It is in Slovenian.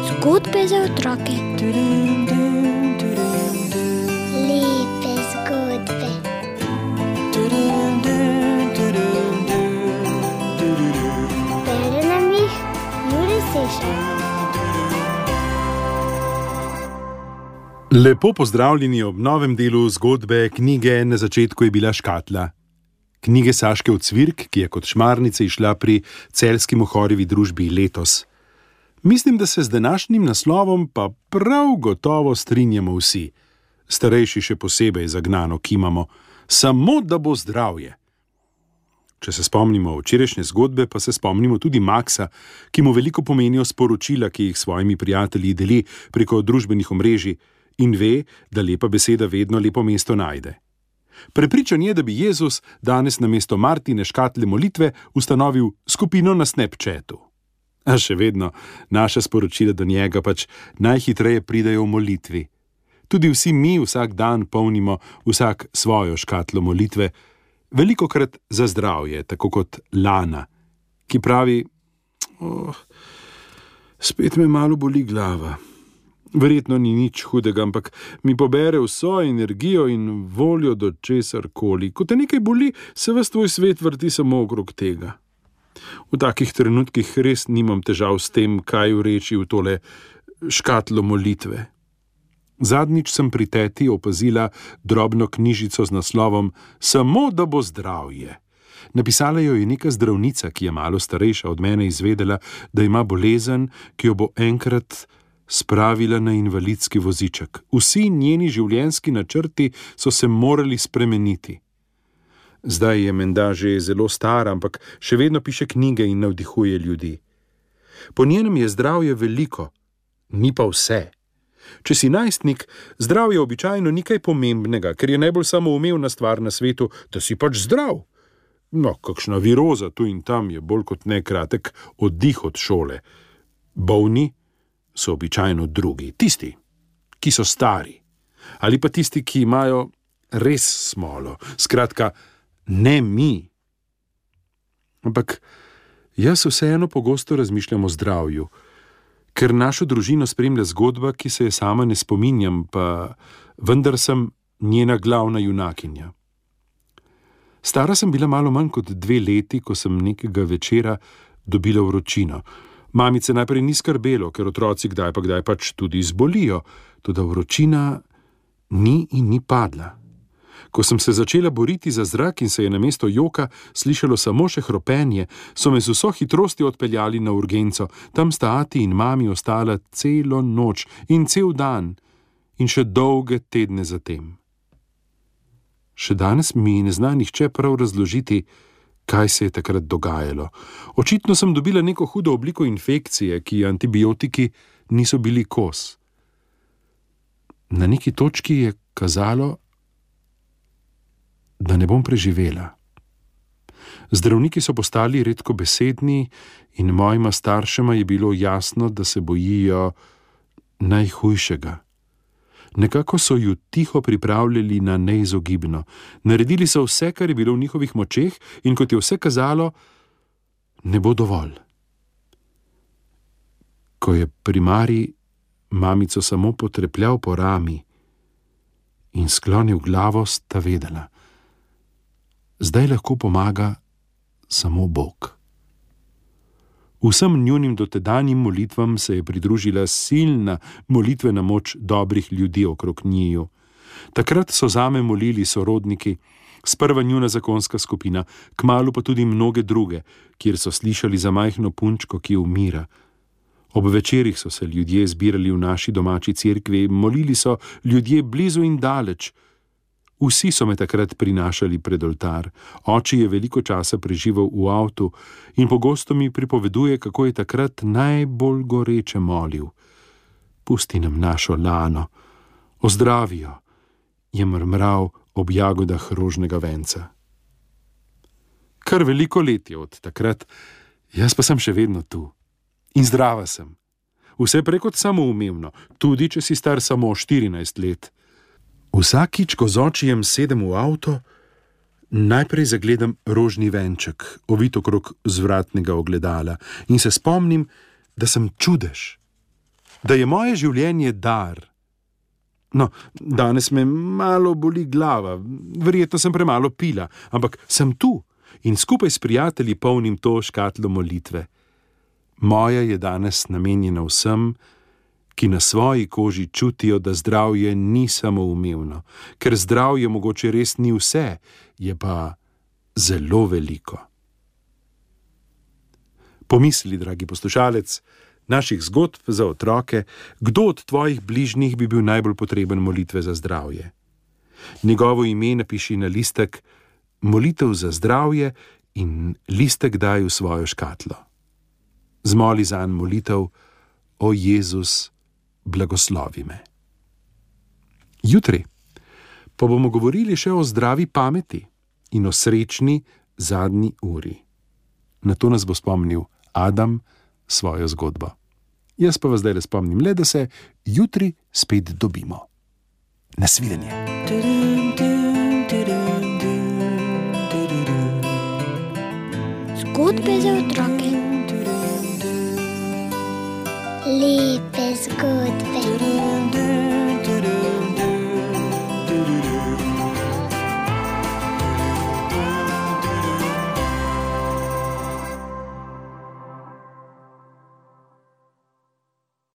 Zgodbe za otroke. Lepe zgodbe. Bere nam jih Jure Sešar. Lepo pozdravljeni ob novem delu zgodbe knjige Na začetku je bila škatla. Knjige Saške Ocvirk, ki je kot šmarnica išla pri Celjski Mohorjevi družbi letos. Mislim, da se z današnjim naslovom pa prav gotovo strinjamo vsi. Starejši še posebej zagnano kimamo, samo da bo zdravje. Če se spomnimo včerajšnje zgodbe, pa se spomnimo tudi Maksa, ki mu veliko pomenijo sporočila, ki jih s svojimi prijatelji deli preko družbenih omrežij in ve, da lepa beseda vedno lepo mesto najde. Prepričan je, da bi Jezus danes namesto Martine škatle molitve ustanovil skupino na Snapchatu. A še vedno naša sporočila do njega pač najhitreje pridejo v molitvi. Tudi vsi mi vsak dan polnimo vsak svojo škatlo molitve, velikokrat za zdravje, tako kot Lana, ki pravi: spet me malo boli glava. Verjetno ni nič hudega, ampak mi pobere vso energijo in voljo do česarkoli. Ko te nekaj boli, se ves tvoj svet vrti samo okrog tega. V takih trenutkih res nimam težav s tem, kaj vreči v tole škatlo molitve. Zadnjič sem pri teti opazila drobno knjižico z naslovom Samo da bo zdravje. Napisala jo je neka zdravnica, ki je malo starejša od mene izvedela, da ima bolezen, ki jo bo enkrat spravila na invalidski voziček. Vsi njeni življenjski načrti so se morali spremeniti. Zdaj je menda že zelo stara, ampak še vedno piše knjige in navdihuje ljudi. Po njenem je zdravje veliko, ni pa vse. Če si najstnik, zdravje običajno ni kaj pomembnega, ker je najbolj samoumevna stvar na svetu, da si pač zdrav. No, kakšna viroza tu in tam je bolj kot ne kratek oddih od šole. Bolni so običajno drugi, tisti, ki so stari, ali pa tisti, ki imajo res smolo, skratka, ne mi. Ampak jaz vseeno pogosto razmišljam o zdravju, ker našo družino spremlja zgodba, ki se je sama ne spominjam, pa vendar sem njena glavna junakinja. Stara sem bila malo manj kot 2 leti, ko sem nekega večera dobila vročino. Mamice najprej ni skrbelo, ker otroci kdaj pač tudi zbolijo, toda vročina ni in ni padla. Ko sem se začela boriti za zrak in se je namesto joka slišalo samo še hropenje, so me z vso hitrostjo odpeljali na urgenco. Tam sta ati in mami ostala celo noč in cel dan in še dolge tedne zatem. Še danes mi ne zna nihče prav razložiti, kaj se je takrat dogajalo. Očitno sem dobila neko hudo obliko infekcije, ki antibiotiki niso bili kos. Na neki točki je kazalo, da ne bom preživela. Zdravniki so postali redkobesedni in mojima staršema je bilo jasno, da se bojijo najhujšega. Nekako so ju tiho pripravljali na neizogibno. Naredili so vse, kar je bilo v njihovih močeh, in kot je vse kazalo, ne bo dovolj. Ko je primarij mamico samo potrepljal po rami in sklonil glavo, sta vedela: zdaj lahko pomaga samo Bog. Vsem njunim dotedanjim molitvam se je pridružila silna molitvena moč dobrih ljudi okrog njiju. Takrat so zame molili sorodniki, sprva njuna zakonska skupina, kmalu pa tudi mnoge druge, kjer so slišali za majhno punčko, ki umira. Ob večerih so se ljudje zbirali v naši domači cerkvi, molili so ljudje blizu in daleč. Vsi so me takrat prinašali pred oltar. Oči je veliko časa preživel v avtu in pogosto mi pripoveduje, kako je takrat najbolj goreče molil: pusti nam našo Lano, ozdravi jo, je mrmral ob jagodah rožnega venca. Kar veliko let je od takrat, jaz pa sem še vedno tu. In zdrava sem. Vse prej kot samoumevno, tudi če si star samo 14 let. Vsakič, ko z očijem sedem v avto, Najprej zagledam rožni venček, ovit okrog zvratnega ogledala, in se spomnim, da sem čudež, da je moje življenje dar. No, danes me malo boli glava, verjetno sem premalo pila, ampak sem tu in skupaj s prijatelji polnim to škatlo molitve. Moja je danes namenjena vsem, ki na svoji koži čutijo, da zdravje ni samoumevno, ker zdravje mogoče res ni vse, je pa zelo veliko. Pomisli, dragi poslušalec, naših zgodb za otroke, kdo od tvojih bližnjih bi bil najbolj potreben molitve za zdravje. Njegovo ime napiši na listek molitev za zdravje in listek daj v svojo škatlo. Zmoli zanj molitev: O Jezus, blagoslovi me. Jutri pa bomo govorili še o zdravi pameti in o srečni zadnji uri. Na to nas bo spomnil Adam svojo zgodbo. Jaz pa vas zdaj spomnim le, da se jutri spet dobimo. Nasvidenje. Zgodbe za otroke. Lepe zgodbe.